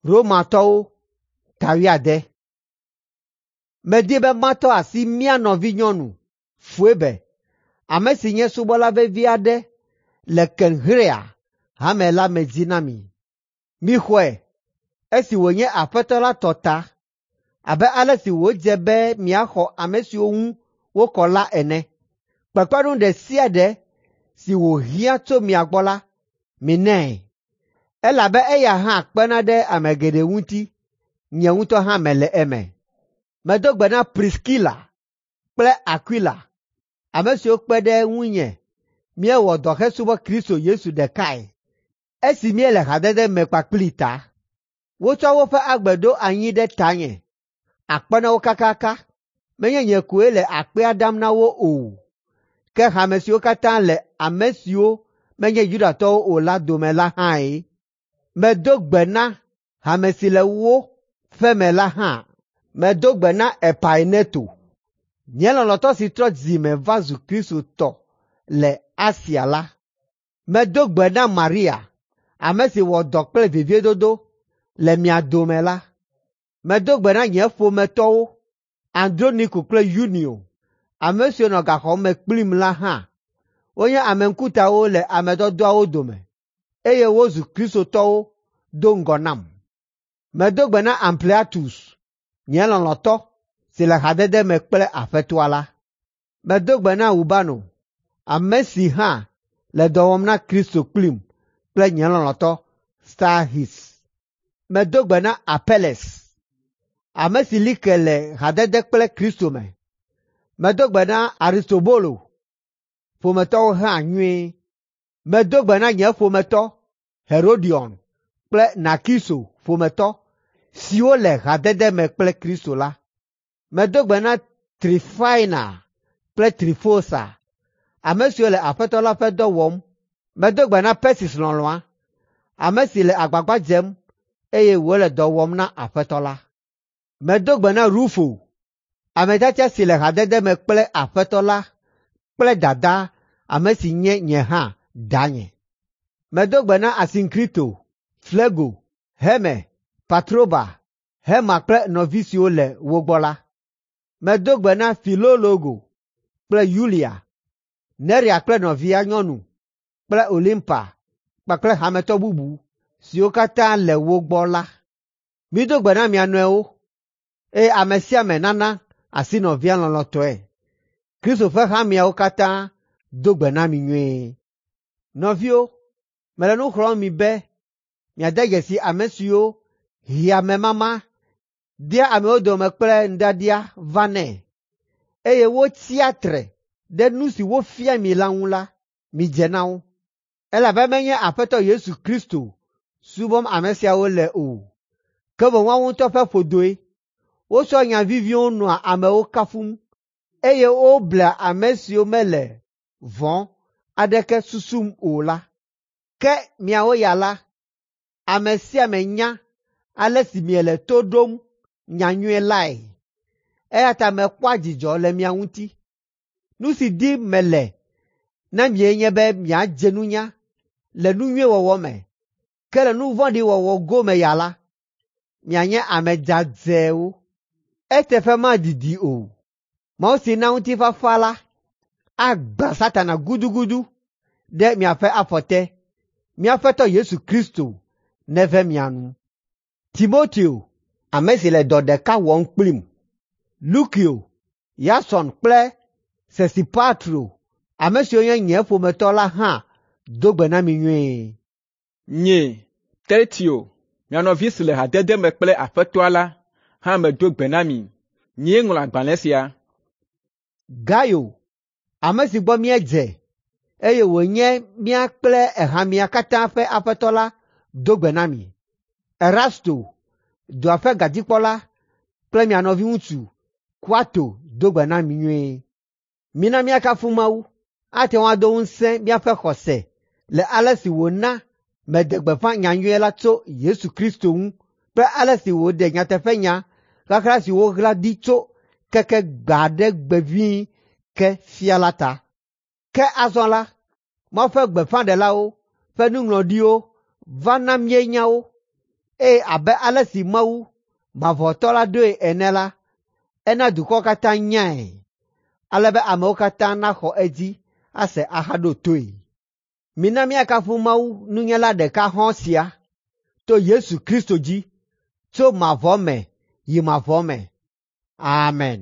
Romatɔwo ta wuiade. Medi be matɔ asi mía nɔvinyɔnu Foebe, ame si nye subɔla vevi aɖe le Kenxrea hame la me dzi na mi. Mixɔe esi wònye Aƒetɔ la tɔ ta abe ale si wòdze be miaxɔ ame siwo ŋu wokɔ la ene. Kpekpeɖeŋu ɖe sia ɖe si wòhiã tso mia gbɔ la, minae, elabe eya hã kpena ɖe ame geɖe ŋuti, nye ŋutɔ hã mele eme. Medo gbe na Priskila kple Akwila, ame siwo kpe ɖe ŋunye míewɔ dɔ hesubɔ Kristo Yesu ɖekae esi míele hadede me kpakplii ta. Wotsɔ woƒe agbe ɖo anyi ɖe tanye, akpe na wo kakaka. Menye nye koe le akpea dam na wo o, ke hame siwo katã le ame siwo menye Yudatɔwo o la dome la hãe. Medo gbe na hame si le wo ƒe me la hã. Medo gbe na Epaineto, nye lɔlɔ̃tɔ si trɔ dzi me va zu Kristotɔ le Asia la. Medo gbe na Maria, ame si wɔ dɔ kple veviedodo le mia dome la. Medo gbe na nye ƒometɔwo, Androniko kple Yunio, ame siwo nɔ gaxɔ me kplim la hã. Wonye ame ŋkutawo le ame dɔdɔawo dome, eye wozu kristotɔwo do ŋgɔ nam. Medo gbe na Ampliatus, nye lɔlɔ̃tɔ si le hadede me kple Aƒetɔa la. Medo gbe na Urbano, ame si hã le dɔ wɔm na Kristo kplim kple nye lɔlɔ̃tɔ Stahis. Medo gbe na Apeles, ame si li ke le hadede kple Kristo me. Medo gbe na Aristobolo ƒometɔwo hã nyuie. Medo gbe na nye ƒometɔ Herodion kple Narkiso ƒometɔ siwo le hadede me kple Kristo la. Medo gbe na Trifaina kple Trifosa, ame siwo le Aƒetɔ la ƒe dɔ wɔm. Medo gbe na Persis lɔlɔ̃a, ame si le agbagba dzem eye wòle dɔ wɔm na Aƒetɔ la. Medo gbe na Rufo, ame tiatia si le hadede me kple Aƒetɔ la kple dadaa, ame si nye nye hã danye. Medo gbe na Asinkrito, Flego, Herme, Patroba, Herma kple nɔvi siwo le wo gbɔ la. Medo gbe na Filologo kple Yulia, Nerea kple nɔvia nyɔnu kple Olimpa kpakple hametɔ bubu siwo katã le wo gbɔ la. Mido gbe na mia nɔewo, eye ame sia ame nana asi nɔvia lɔlɔ̃tɔe. Kristo ƒe hameawo katã do gbe na mi nyuie. Nɔviwo, mele nu xlɔ̃m mi be miade dzesi ame siwo hea memama dea amewo dome kple nuɖiaɖia vanɛ, eye wotsia tre ɖe nu si wofia mi la ŋu la, midze na wo. Elabe menye Aƒetɔ Yesu Kristo subɔm ame siawo le o, ke boŋ woawo ŋutɔ ƒe ƒodoe. Wotsɔa nya viviwo nɔa amewo kafum, eye woblea ame siwo mele vɔ̃ aɖeke susum o la. Ke miawo ya la, ame sia ame nya ale si miele to ɖom nyanyui lae, eya ta mekpɔa dzidzɔ le mia ŋuti. Nu si dim mele na mie nye be miadze nunya le nu nyui wɔwɔ me, ke le nu vɔ̃ɖi wɔwɔ gome ya la, mianye ame dzadzɛwo. Eteƒe madidi o, Mawu si na ŋutifafa la agbã Satana gudugudu ɖe miaƒe afɔ te. Mía Aƒetɔ Yesu Kristo neve mia nu. Timoteo, ame si le dɔ ɖeka wɔm kplim, Lukio, Yason kple Sosipatro, ame siwo nye nye ƒometɔ la hã do gbe na mi nyuie. Nye, Tertio, mia nɔvi si le hadede me kple Aƒetɔa la hã medo gbe na mi. Nyee ŋlɔ agbalẽ sia. Gayo, ame si gbɔ míedze, eye wònye mía kple hamea katã ƒe aƒetɔ la do gbe na mi. Erasto, dua ƒe gadzikpɔla kple mia nɔviŋutsu Kuato do gbe na mi nyuie. Mina míakafu Mawu, ate ŋu ado ŋusẽ míaƒe xɔse le ale si wòna meɖe gbeƒã nyanyui la tso Yesu Kristo ŋu kple ale si wòɖe nyateƒenya ɣaɣla si woɣla ɖi tso keke gbe aɖe gbe ʋĩi ke fia la ta. Ke azɔ la, Mawu ƒe gbeƒãɖelawo ƒe nuŋlɔɖiwo va na míenya wo. Eye abe ale si Mawu Mavɔtɔ la ɖoe ene la, ena dukɔwo katã nyae, ale be amewo katã naxɔ edzi ase ahaɖo toe. Mina míakafu Mawu nunyala ɖeka hɔ̃ɔ sia to Yesu Kristo dzi tso mavɔ me yi mavɔ me. Amen.